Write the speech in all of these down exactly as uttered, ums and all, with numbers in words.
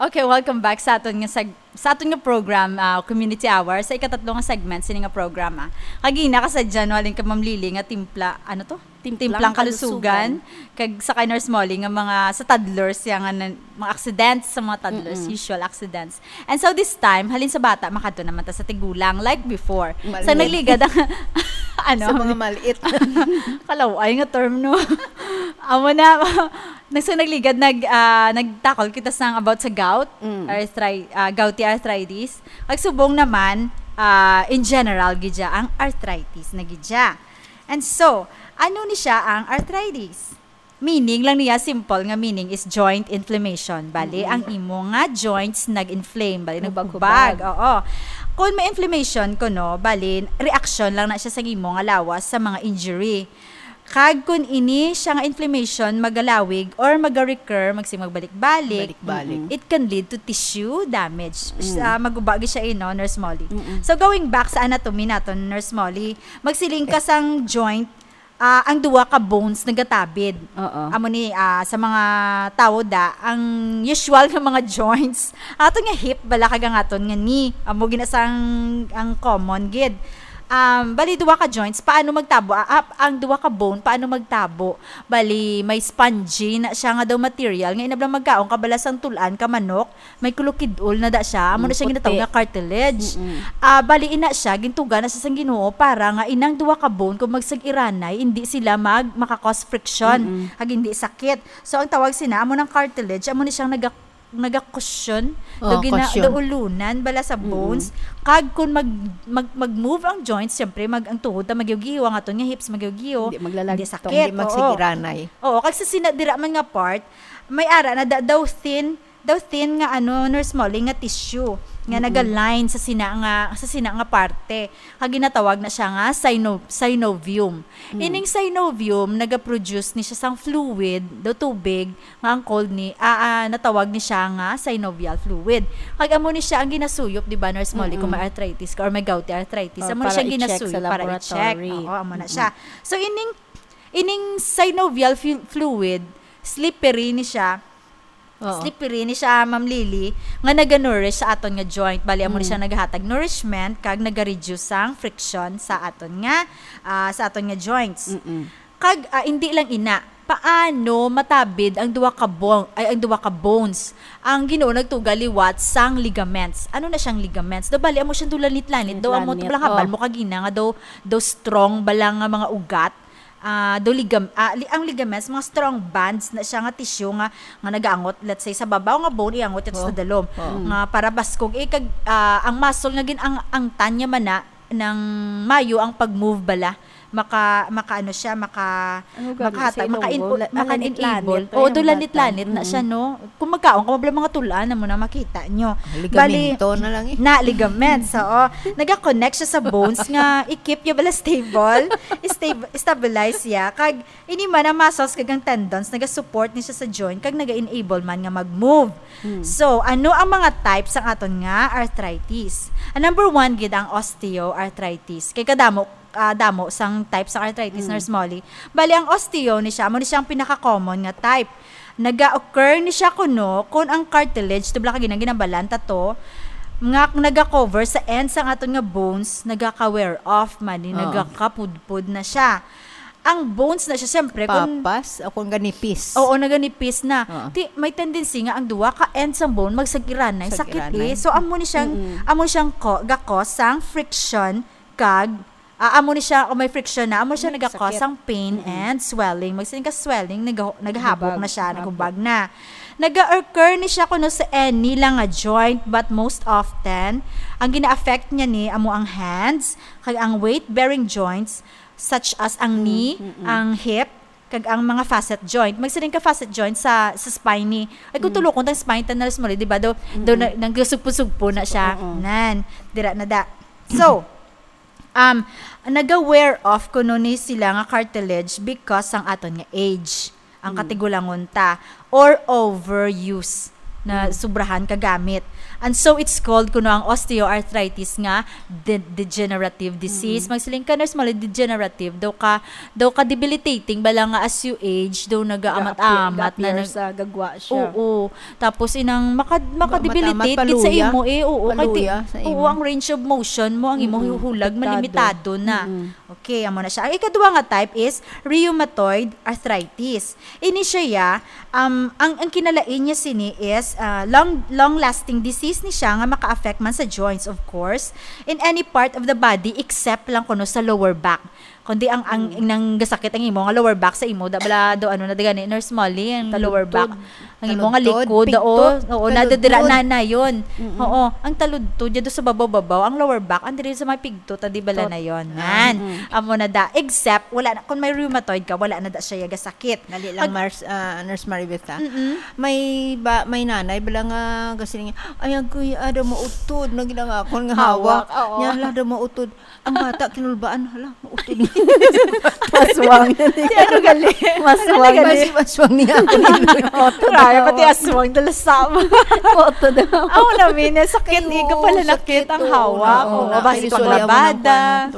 Okay, welcome back sa aton nga seg-, sa aton nga program, ah, Community Hour, sa ikatatlo nga segment sini nga programa. Kagina ka sa January ka, Ma'am Lily, nga timpla, ano to? Timplang Timplang kalusugan. Kalusugan. Kag sa kay Nurse Molly nga mga sa toddlers, ya nga nan-, mga accidents sa mga toddlers, Mm-mm. usual accidents. And so this time, halin sa bata, makadto naman ta sa tigulang, like before. Maliit. Sa nagligad ang, ano? Sa mga maliit. Kalaway nga term, no? Amo na, nag-, sa nagligad, nag-, ah, nagtakol kita sang about sa gout, Mm. arthri-, ah, gouty arthritis. Nagsubong naman, ah, in general, gid siya ang arthritis na gid siya. And so, ano ni siya ang arthritis? Meaning lang niya, simple nga meaning is joint inflammation. Bali, Mm. ang imo nga joints nag-inflame. Bali, Hubag-hubag. nagkubag. Oo. Kung may inflammation kuno, bali, reaction lang na siya sa imo nga lawas sa mga injury. Kag kung ini siya nga inflammation magalawig or maga-recur, magsig magbalik-balik, Balik-balik. it can lead to tissue damage. Mm. Ah, maguba gyud siya, eh, no, Nurse Molly? Mm-mm. So, going back sa anatomy naton, Nurse Molly, magsiling ka sang joint, ah, ang duha ka bones nagatabid. Oo. Amo ni, ah, sa mga tawo da, ang usual nga mga joints, ato nga hip bala kag ang aton nga knee. Amo gina sang ang common gid. Um, bali, duha ka joints, paano magtabo? Ah, ah, ang duha ka bone, paano magtabo? Bali, may spongy na siya nga daw material, nga inablang magkaon ka bala sang tulan ka manok, may kulukidol na da siya. Amo na Mm, siya ginatawag puti. nga cartilage. Mm-mm. Ah, bali, ina siya, gintuga na siya sang Ginoo para nga inang duha ka bone, kung magsag-iranay, hindi sila mag-, maka-cause friction, Mm-mm. kag hindi sakit. So, ang tawag sina, amo nang cartilage, amo ni siyang naga-, naga-cushion, Oh, daw gina-, cushion. daw ulunan bala sa Mm-mm. bones. Kag kung mag-, mag-, mag-move ang joints, syempre, mag-, ang tuhod ta magiw-giho, ang aton nga hips magiw-giho, Hindi maglalagtong, hindi sakit. hindi Oo. magsigiranay. Oo, kag sa sina-, dira man nga part, may ara na da-, daw thin, daw thin nga, ano, Nurse Molly, nga tissue nga Mm-mm. nagaline sa sina nga, sa sina nga parte. Kag ginatawag na siya nga syno-, synovium. Mm. Ining synovium, nagaproduce ni siya sang fluid, daw tubig, nga ang called ni, ah, ah, natawag ni siya nga synovial fluid. Kag amo ni siya ang ginasuyop, di ba, Nurse Molly, kung Mm-mm. may arthritis ka or may gouty arthritis, Or amo ni para siya i-check sa ginasuyop para i-check. laboratory. Oo, amo na Mm-mm. siya. So, ining, ining synovial flu-, fluid, slippery ni siya. Oo. Slippery ni siya, Ma'am Lily, nga naga-nourish sa aton nga joint. Bali, amo ni Mm. siya nagahatag nourishment, kag naga-reduce sang friction sa aton nga, ah, sa aton nga joints. Mm-mm. Kag, ah, hindi lang ina, paano matabid ang duha ka bon-, ay, ang duha ka bones? Ang Ginoo nagtuga liwat sang ligaments. Ano na siyang ligaments? Daw bali, amo siyang daw lanit-lanit. Daw amo Lanit-lanit, bala habal oh. mo kagina nga daw, daw strong bala nga mga ugat. Ah, daw ligam-, ah, li-, ang ligaments, mga strong bands na siya nga tissue nga, nga nagaangot, let's say, sa babaw nga bone, iangot ito sa Oh. dalom. Oh. Nga para baskog. Eh, kag, ah, ang muscle nga gin-, ang, ang tan niya man na, nang mayo ang pag-move bala. Maka-, maka-ano siya, maka-, Ano gani? makahata-, Sa ilonggo, maka-in-, la-, ah, maka-enable. lanit-lanit to Oo, yung doon lanit-lanit bata. na siya, Mm. no? Kung magkaon ka, mabla mga tulaan, amo na makita nyo. Ligamento Bali, na lang eh. na, ligaments, oo. Nag-connect siya sa bones nga, i-keep niya bala stable, stab-, stabilize siya. Kag, ini man ang muscles kag ang tendons, naga-support ni siya sa joint, kag naga-enable man nga mag-move. Hmm. So, ano ang mga types sang aton nga arthritis? Ang number one gid ang osteoarthritis. Kay kadamo, ah, damo sang types sang arthritis, Mm. Nurse Molly. Bali, ang osteo ni siya, amo ni siya ang pinaka-common nga type. Naga-occur ni siya kuno kung ang cartilage, tubla ka ginang ginabalan ta to, nga naga-cover sa ends sang aton nga bones, nagaka-wear off man, ni Oo. nagakapudpod na siya. Ang bones na siya, siyempre, kung Papas o kung ganipis. Oo, naganipis na. Oo. Ti, may tendency nga ang duha ka ends sang bone magsag-iranay, sakit Sag-iranay. eh. So, amo ni siyang, Mm-mm. amo ni siyang ko-, ga-cause sang friction kag, ah, amo ni siya, kung may friction na, amo siya Mm, naga-cause sakit. sang pain Mm-mm. and swelling. Magsiling ka swelling, naga-, naghabog Hubag, na siya, habog. naghubag na. Naga-occur ni siya kuno sa any lang nga joint, but most often, ang gina-affect niya ni amo ang hands, kag ang weight-bearing joints, such as ang Mm, knee, mm, mm. ang hip, kag ang mga facet joint. Magsiling ka facet joint sa, sa spine ni. Ay, kung Mm. tulokon tang spine, ta, Nurse Molly, di ba, daw, daw Mm-mm. na, nagsusugpo-sugpo na siya. Oo. Nan, dira na da. So, um, naga-wear off kuno ni sila nga cartilage because sang aton nga age, ang Mm. katigulangon ta, or overuse. na Mm. sobrahan ka gamit. And so it's called kuno ang osteoarthritis nga de-, degenerative disease. Mm. Magsiling ka, Nurse Molly, degenerative daw ka, daw ka debilitating bala nga as you age, daw nagaamat-amat na nag- sa gagwa siya. Oo. Tapos inang maka-, maka-debilitate gid sa imo eh. Oo, kay ti-, oo, ang range of motion mo, ang imo hulag, malimitado na. Okay, amo na siya. Ang ikaduha nga type is rheumatoid arthritis. Ini siya, ya, um, ang, ang kinalain niya sini is, ah, long, long-lasting disease ni siya nga maka-affect man sa joints, of course, in any part of the body except lang kuno sa lower back. Kundi ang, ang, nang gasakit ang imo nga lower back sa imo, da bala do, ano na di gani, Nurse Molly, ang lower back. Ang imo nga likod, oo, oo, nadadira na, na yun. Oo, ang taludtod, yado sa babaw-babaw, ang lower back, ang diri sa may pigto, ta di bala na yun. Nan, amo na da. Except, wala na, kung may rheumatoid ka, wala na da siya yaga sakit. Dali lang, Mars-, ah, Nurse Maribeth, ha? May ba, may nanay, bala nga, gasiling, "Ay, agoy, ada mautod, na ginangakon nga hawak." Hawak, oo. Nya, "Hala, ada mautod." Ang bata, kinulbaan, "Hala, mautod." Maswang na niya. Di ano gali? Maswang na. Mas-, maswang niya ako ni Loy. Oto daw. Pati aswang, dalasam. Oto daw. Ako na, min, sakit, igo pala sakit ang hawak. Oo, basi kung labada.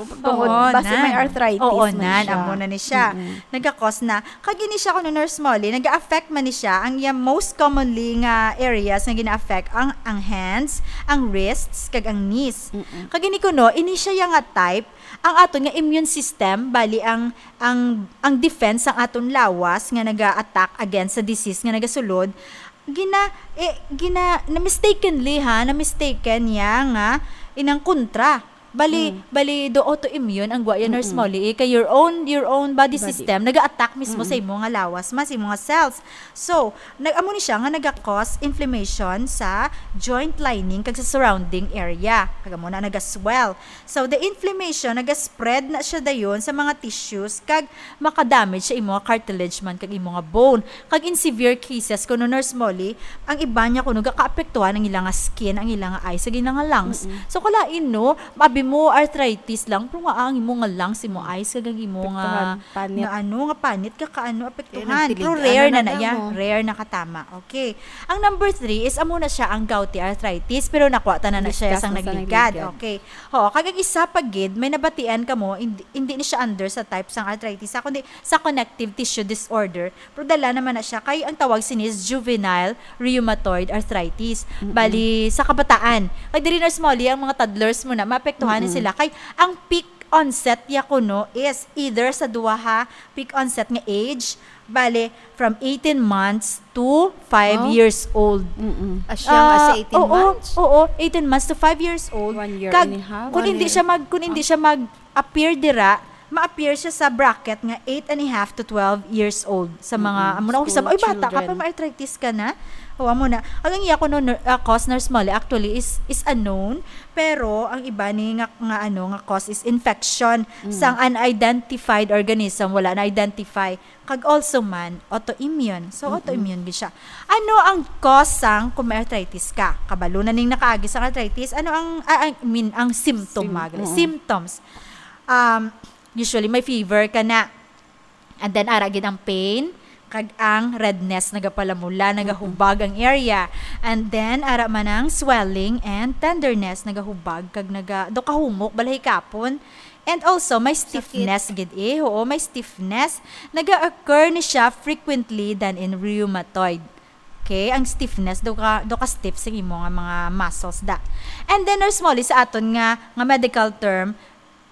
Basi may arthritis man siya. Oo, nan, amo na ni siya. Nagakos na. Kag ini siya kuno, Nurse Molly, nag-affect man ni siya. Ang iya most commonly nga areas nga gina-affect ang, ang hands, ang wrists, kag ang knees. Kag ini kuno, ini siya ya nga type, ang aton nga immune system, bali ang, ang, ang defense sang aton lawas nga naga-attack against sa disease nga nagasulod, gina-, eh, gina-, na mistakenly ha, na mistaken niya nga inang kontra. Bali, bali do autoimmune ang gwa ya, Nurse Molly, eh, kay your own, your own body system naga-attack mismo sa imo nga lawas, mas imo nga cells. So, nag-, amo ni siya nga naga-cause inflammation sa joint lining kag sa surrounding area. Kag amo na naga-swell. So, the inflammation naga-spread na siya dayon sa mga tissues kag makadamage sa imo nga cartilage man kag imo nga bone. Kag in severe cases, kuno, Nurse Molly, ang iba niya kuno gakaapektuhan ang ila nga skin, ang ila nga eyes, kag ila nga lungs. So, kalain, no, abi mo arthritis lang, pero nga ang imo nga lungs, imo eyes, kag ang imo nga, nga ano, nga panit, ka, ka ano, apektuhan. Pero rare na na ya, rare na katama. Okay. Ang number three is amo na siya ang gouty arthritis, pero nakuha ta na na siya sang nagligad. Okay. Oo, kag ang isa pa gid, may nabatian kamo, hindi, hindi ni siya under sa type sang arthritis, ha, kundi sa connective tissue disorder. Pero dala naman na siya kay ang tawag sini is juvenile rheumatoid arthritis. Bali, sa kabataan. Kay diri, Nurse Molly, ang mga toddlers mo na, maapektuhan na sila. Kay ang peak onset ya kuno is either sa duha ha, peak onset nga age, bali, from eighteen months to five years old. Asya nga sa eighteen months? Oo, eighteen months to five years old. One year and a half. Kag kung hindi siya mag-, kung hindi siya mag-appear dira, ma-appear siya sa bracket nga eight and a half to twelve years old. Sa mga, amo na, sa mga, "Ay, bata ka pa, may arthritis ka na?" O, amo na. Ang iya kuno, nur-, ah, cause, Nurse Molly, actually is, is unknown, pero ang iba ni nga, nga, ano, nga cause is infection sang unidentified organism, wala na-identify. Kag also man, autoimmune. So, autoimmune gid siya. Ano ang cause sang kung may arthritis ka? Kabalo na ning nakaagi sang arthritis. Ano ang, ah, I mean, ang symptom, Sym-, mga gali-, oo. Symptoms? Um, usually, may fever ka na. And then, ara gid ang pain, kag ang redness, nagapalamula, nagahubag ang area. And then, ara man ang swelling and tenderness, nagahubag, kag naga-, do kahumok, balay kapon. And also, may stiffness gid eh. Oo, may stiffness. Naga-occur ni siya frequently than in rheumatoid. Okay? Ang stiffness, do ka, do ka stiff sa imo nga mga muscles da. And then, Nurse Molly, sa aton nga, nga medical term,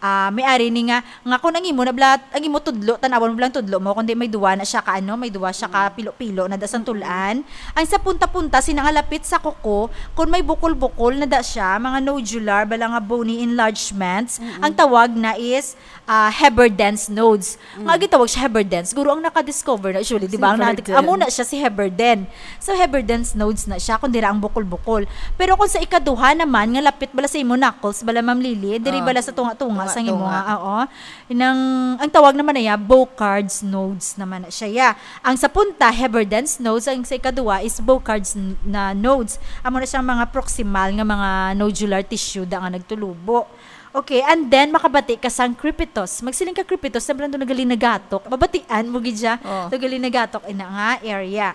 ah, may ari ni nga, nga kung ang imo na bala, ang imo tudlo, tan-awon mo bala ang tudlo mo, kundi may duwa na siya ka, ano, may duwa siya ka pilo-pilo na da sang tul-an. Ang sa punta-punta, sina nga lapit sa kuko, kung may bukol-bukol na da siya, mga nodular, bala nga bony enlargements, ang tawag na is, ah, Heberden's nodes. Nga gitawag siya Heberden's, siguro ang naka-discover na, usually, di ba? Ang naka-, amo na siya si Heberden. So, Heberden's nodes na siya, kung dira ang bukol-bukol. Pero kung sa ikaduha naman, nga lapit bala sa imo knuckles, bala, Ma'am Lily, diri bala sa tunga-tunga, sa imo, tunga-tunga. Oo. Nang, ang tawag naman na iya, Boucard's nodes naman na siya. Ya. Ang sa punta, Heberden's nodes, ang sa ikaduha is Boucard's n-, na nodes. Amo na siyang mga proximal nga mga nodular tissue da nga nagtulubo. Okay, and then makabati ka sang crepitus. Magsiling ka crepitus, siyempre nandun nagalinagatok. Mabatian mo gid siya. Oh. Nagalinagatok ina nga area.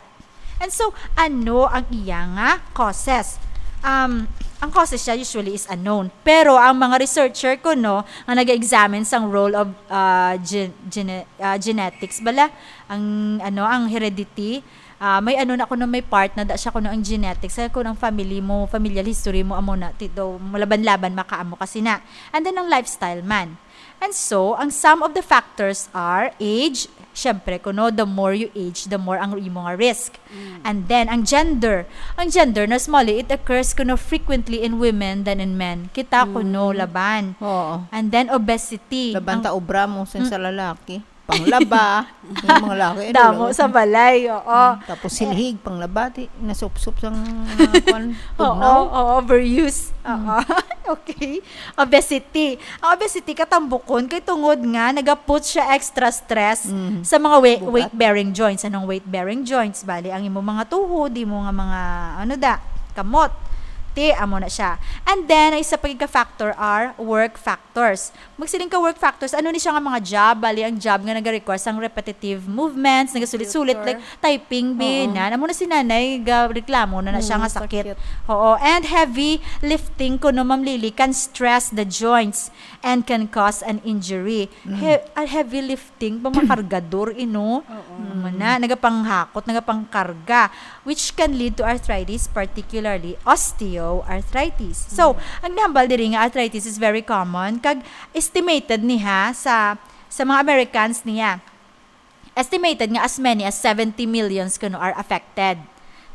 And so, ano ang iya nga causes? Um, ang causes siya usually is unknown. Pero ang mga researcher kuno nga nag-examine sang role of uh, gen- gene- uh, genetics bala, ang ano ang heredity, ah, may ano na kuno, may part na da siya kuno ang genetics, kaya kuno ang family mo, familial history mo, amo na ti daw malaban-laban makaamo kasi na. And then ang lifestyle man. And so, ang some of the factors are age. Siyempre, kuno, the more you age, the more ang imo nga risk. And then, ang gender. Ang gender, na small, it occurs kuno frequently in women than in men. Kita kuno, laban. Oo. And then, obesity. Laban Ang ta obra mo sa, sa lalaki. Panglaba. Yung mga lalaki, ano, Damo laba. Sa balay, oo. Mm, tapos silhig, panglaba, di, nasupsup sang, ah, kwan, Oo, tugnaw. Oo, overuse. Oo. Okay. Obesity. Ang obesity, katambukon, kay tungod nga, nagaput siya extra stress Mm. sa mga wei-, Bugat. weight-bearing joints. Anong weight-bearing joints? Bali, ang imo mga tuhod, imo nga mga, ano da, kamot. Ti, amo na siya. And then, ang isa pa gid ka factor are work factors. Magsiling ka work factors, ano ni siya nga mga job? Bali, ang job nga nag-require sang repetitive movements, nagasulit-sulit, Computer. Like typing, Oo. binan. Amo na si nanay, ga-, reklamo na na siya Mm, nga sakit. Sakit. Oo. And heavy lifting kuno, Ma'am Lily, can stress the joints and can cause an injury. Mm. He-, a heavy lifting, pa makargador, ino? Oo. Amo na, nagapanghakot, nagapangkarga, which can lead to arthritis, particularly osteoarthritis. So, Mm. ang nahambal diri nga arthritis is very common, kag estimated niya sa, sa mga Americans niya. Estimated nga as many as seventy millions kuno are affected.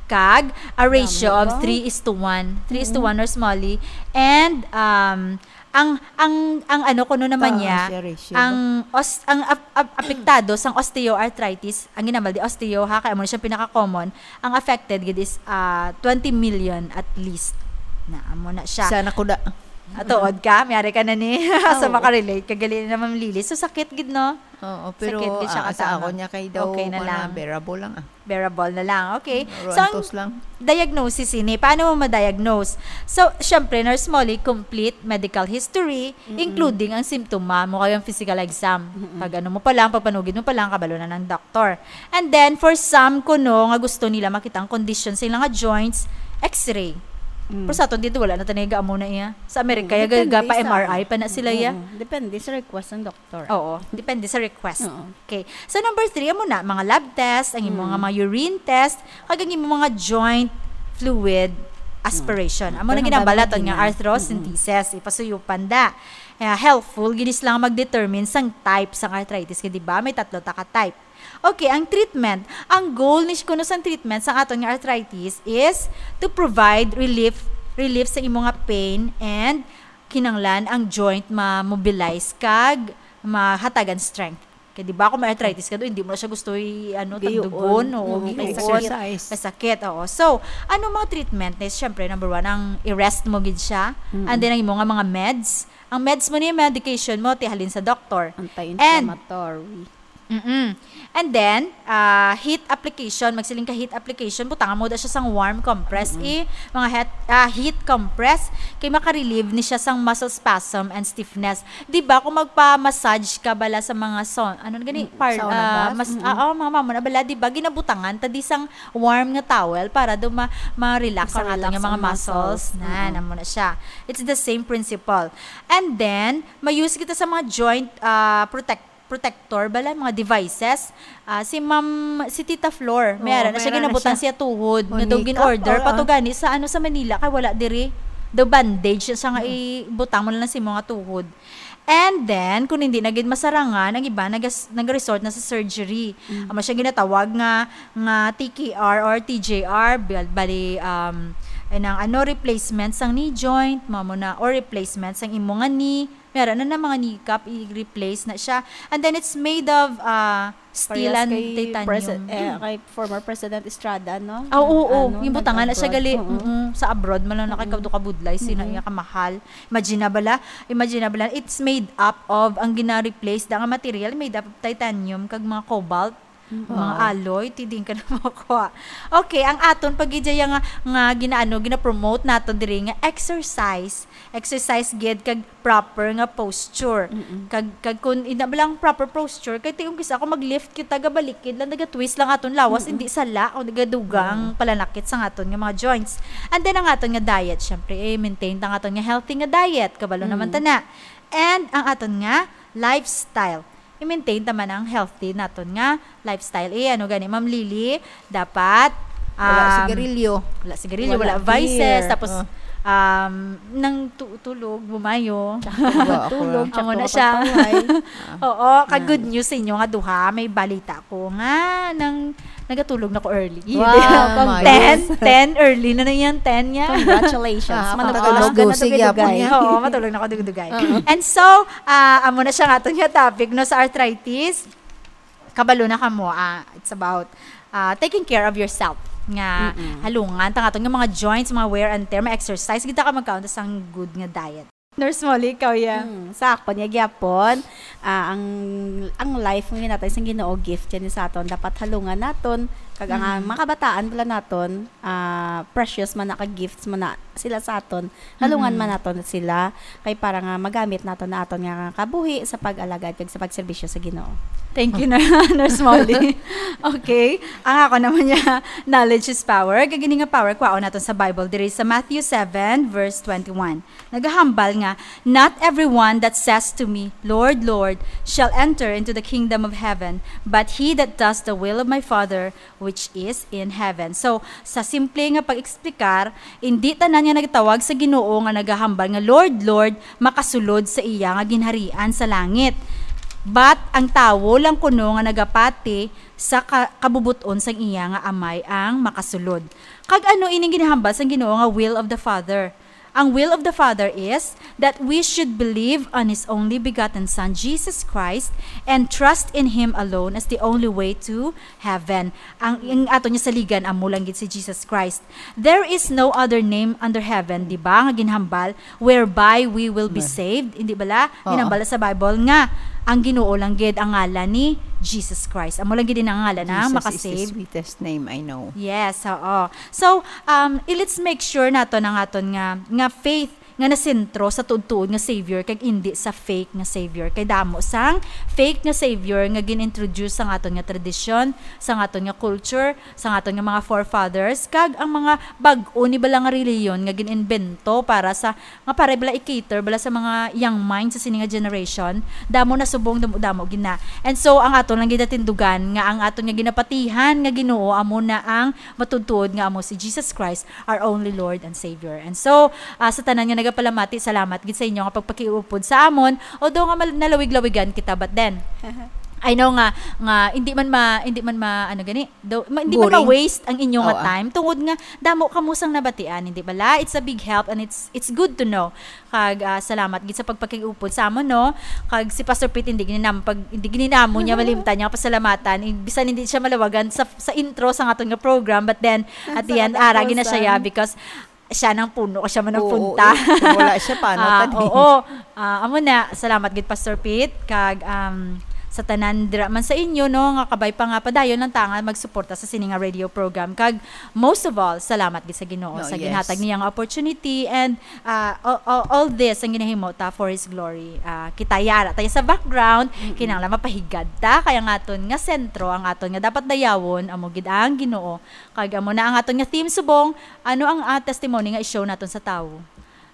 Kag a ratio Dami of ba? three is to one. Three is to Mm. one or smally. And, um, ang, ang, ang ano kuno naman Taas niya, siya ratio ba? ang os-, ang ap-, ap-, apektado sang osteoarthritis, ang ginambal di osteo ha, kaya mo na siya pinaka-common, ang affected gid is, ah, twenty million at least. Na, amo na siya. Sana kuda. Atuod ka, may ari ka na ni. Sa Oo. Makarelate ka, gali na, Ma'am Lily. So, sakit gid, no? Oo, pero, Sakit gid siya ah, sa katama. Ako niya kay daw, Okay na kuwan na, lang. Bearable lang, ah. Bearable na lang. Okay. Pero So, ang antos lang. diagnosis ini, paano mo ma-diagnose? So, syempre, Nurse Molly, complete medical history, Mm-mm. including ang simptoma mo, kaya ang physical exam. Mm-mm. Pag ano mo pa lang, pag panugid mo pa lang, kabalo na ng doktor. And then, for some, kuno, nga gusto nila makita ang condition sa ilang nga joints, x-ray. Mm. Pero sa aton dito, wala na tayo amo na iya. Sa Amerika, Mm, ya, depende ga-, pa sa M R I pa na sila, ya. Mm, depende sa request ng doktor. Oo, depende sa request. Oo. Okay. So, number three, amo na, mga lab test, ang imo Mm. nga mga urine test, kag ang imo mga joint fluid aspiration. Mm. Amo na Pero ginambal hambal naton nga lagi na. Arthrocentesis, Mm-mm. ipasuyupan da. Eh, helpful, gid sila nga mag-determine sang type sang arthritis. Kay, di ba, may tatlo ta ka type. Okay, ang treatment. Ang goal ni kuno sang treatment sang aton nga arthritis is to provide relief, relief sa imo nga pain and kinanglan ang joint ma-mobilize kag mahatagan strength. Kay di ba kung may arthritis ka do, hindi mo na siya gusto i-, ano, Gayuon. tagdugon, o Oo, gayuon. Exercise. Masakit, oo. So, ano mga treatment? Na, siyempre, number one, ang i-rest mo gid siya. Mm. And then, ang imo nga mga meds. Ang meds mo ni medication mo, ti halin sa doktor. Anti-inflammatory. Mm-mm. And then, ah, heat application, magsiling ka heat application, butangan mo da siya sang warm compress, Mm-mm. eh, mga het-, ah, heat compress, kay makarelieve ni siya sang muscle spasm and stiffness. Di ba, kung magpa-massage ka bala sa mga son-, ano gani, Mm, par-, sauna ah, bath? mas, Mm-mm. ah, oh, mga mamo na bala, di ba, ginabutangan ta di sang warm nga towel para daw ma-, ma-relax ang aton Makarelax nga mga ang muscles. muscles. Na, Mm-mm. namo na siya. It's the same principle. And then, may use kita sa mga joint, ah, protect protector bala, mga devices. Ah, si Ma'am, si Tita Flor, Oo, may ara na siya, mayroon na ginabutang siya. Siya tuhod, nga daw Monica, gin-order, oo. Patugani sa, ano, sa Manila, kay wala diri. Daw bandage siya nga Mm. ibutang mo lang sa imo nga tuhod. And then, kung hindi na gid masarangan, ang iba nagas-, nag-resort na sa surgery. Mm. Amo siya ginatawag nga, nga T K R or T J R, bal-, bali, um, ay nang, ano, replacement sang knee joint, mamo na, or replacement sang imo nga knee, Meron na, na mga kneecap, i-replace na siya. And then it's made of, ah, steel Parehas and kay titanium. Presi-, eh, Mm. kay former President Estrada, no? Ah, oo, oo. Ano, Yung butangan na siya nag-abroad. gali, Oo. mm, sa abroad, man lang na kay Mm. kadto kabudlay, sina Mm. iya kamahal. Imagine na bala, imagine na bala, it's made up of, ang gina-replace, da nga material, made up of titanium, kag mga cobalt. Mga aloe, ti diin ka na makuha. Okay, ang aton pa gid dyan nga, nga ginaano, gina-promote naton diri nga exercise. Exercise gid kag proper nga posture. Mm-mm. Kag, kag kun ina ba lang proper posture, kay ti kung kis-a kung mag-lift kita, gabalikid lang, naga-twist lang aton lawas, Mm-mm. hindi sala o nagaduga ang Mm. palanakit sa aton nga mga joints. And then ang aton nga diet, syempre, eh, maintain ta ang aton nga healthy nga diet. Kabalo naman Mm. ta na. And ang aton nga lifestyle. I-maintain ta man ang healthy naton nga lifestyle. Eh, ano gani, Ma'am Lily? Dapat, Wala um, sigarilyo. wala sigarilyo, Wala wala vices, beer. Tapos, Oh. um, nang tu-, tulog, bumayo. Tulog, Amo na tsaka siya. Pagpaway. Oo, kag Yan. Good news sa inyo nga duha, may balita ko nga nang nagatulog na ko early. Wow, Pang my ten, goodness. ten early na na yan, ten niya. Congratulations. Ah, Manatulog matulog ka na si Gyapo dugay-dugay. niya. Oo, matulog na ko dugay-dugay. Oo. And so, ah, amo na siya nga aton nga topic, no, sa arthritis. Kabalo na kamo, ah, it's about, ah, taking care of yourself. Nga Mm-mm. halungan, tang aton nga mga joints, mga wear and tear, ma-exercise, kita ka magkaon ta sang good nga diet. Nurse Molly, ikaw, ya. Hmm, sa akon, ya gyapon, ah, ang, ang life nga ginatay sang Ginoo, gift yan sa aton. Dapat halungan naton, kag ang, ang Mm. mga kabataan pala naton, ah, precious man na ka gifts man na sila sa aton. Halungan Mm. man naton sila, kay para nga magamit naton na aton nga kabuhi sa pag-alagad kag sa pagserbisyo sa Ginoo. Thank you, Nur-, Nurse Molly. Okay. Ang ako naman niya, knowledge is power. Kag ini nga power, kwaon naton sa Bible, diri sa Matthew seven, verse twenty-one. Nagahambal nga, "Not everyone that says to me, 'Lord, Lord,' shall enter into the kingdom of heaven, but he that does the will of my Father which is in heaven." So, sa simple nga pag-explicar, hindi tanan nga nagtawag sa Ginoo nga nagahambal nga, "Lord, Lord," makasulod sa iya nga ginharian sa langit. But ang tawo lang kuno nga nagapati sa ka-, kabubot-on sang iya nga Amay ang makasulod. Kag ano ining ginahambal sang Ginoo nga will of the Father? Ang will of the Father is that we should believe on His only begotten Son, Jesus Christ, and trust in Him alone as the only way to heaven. Ang, ang ato niya saligan, amo lang gid si Jesus Christ. There is no other name under heaven, di ba, nga ginhambal, whereby we will be Amen. saved. Hindi bala? Oo. Ginhambal sa Bible nga ang Ginoo lang gid ang ngalan ni Jesus Christ. Amo lang gid ang ngalan na Jesus is the makasave. sweetest name I know. Yes, oo. So, um, i-, let's make sure nato na nga aton nga, nga faith nga nasentro sa tuod-tuod nga Savior kag indi sa fake nga Savior. Kay damo sang fake nga Savior nga gin-introduce sa aton nga tradisyon, sa aton nga culture, sa aton nga mga forefathers, kag ang mga bag-o ni bala nga reliyon nga gin-imbento para sa, nga para bala i-cater bala sa mga young minds sa sini nga generation, damo na subong, damo, damo gid na. And so, ang aton lang ginatindugan nga ang aton nga ginapatihan nga Ginoo amo na ang matuod-tuod nga amo si Jesus Christ, our only Lord and Savior. And so, ah, sa tanan nga nagapalamati, salamat gid sa inyo nga pagpakiupod sa amon, although nga mal-, nalawig-lawigan kita, but then, I know nga, nga hindi man ma-, hindi man ma-, ano gani, daw, ma-, hindi man Boring. ma-waste ang inyo nga Oo, ah. time, tungod nga damo kamo sang nabatian, hindi bala? It's a big help and it's, it's good to know. Kag, ah, salamat gid sa pagpakiupod sa amon, no? Kag si Pastor Pete, hindi gid ni nam-, pag, hindi gid ni namo niya malimtan niya pasalamatan. I-, bisan hindi siya malawagan sa, sa intro sa aton nga program, but then, at the end, Sa ara gid na siya, katapusan. yeah, because siya nang puno, siya man ang Oo, punta. eh. Kung wala siya, paano Ah, ta din? oo. Ah, amo na, salamat gid, Pastor Pete, kag, um, sa tanan dira man sa inyo, no, nga kabay pa nga padayon lang ta nga magsuporta sa sini nga radio program. Kag, most of all, salamat gid sa Ginoo No, sa yes. ginhatag niya nga opportunity, and, ah, all, all, all this ang ginahimo ta for His glory. Ah, kita yara tayo sa background, Mm-mm. kinahanglan mapahigad ta, kaya ang aton nga sentro, ang aton nga dapat dayawon, amo gid ang Ginoo. Kag amo na ang aton nga theme subong, ano ang, ah, testimony nga i-show naton sa tawo?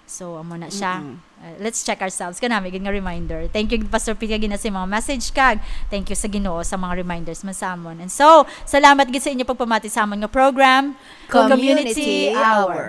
So, amo na siya. Mm-mm. Uh, let's check ourselves. Kanami gid nga reminder. Thank you, Pastor Pete, gina sa mga message kag thank you sa Ginoo sa mga reminders man sa amon. And so, salamat gid sa inyo pagpamati sa amon nga program, Community Community Hour. Hour.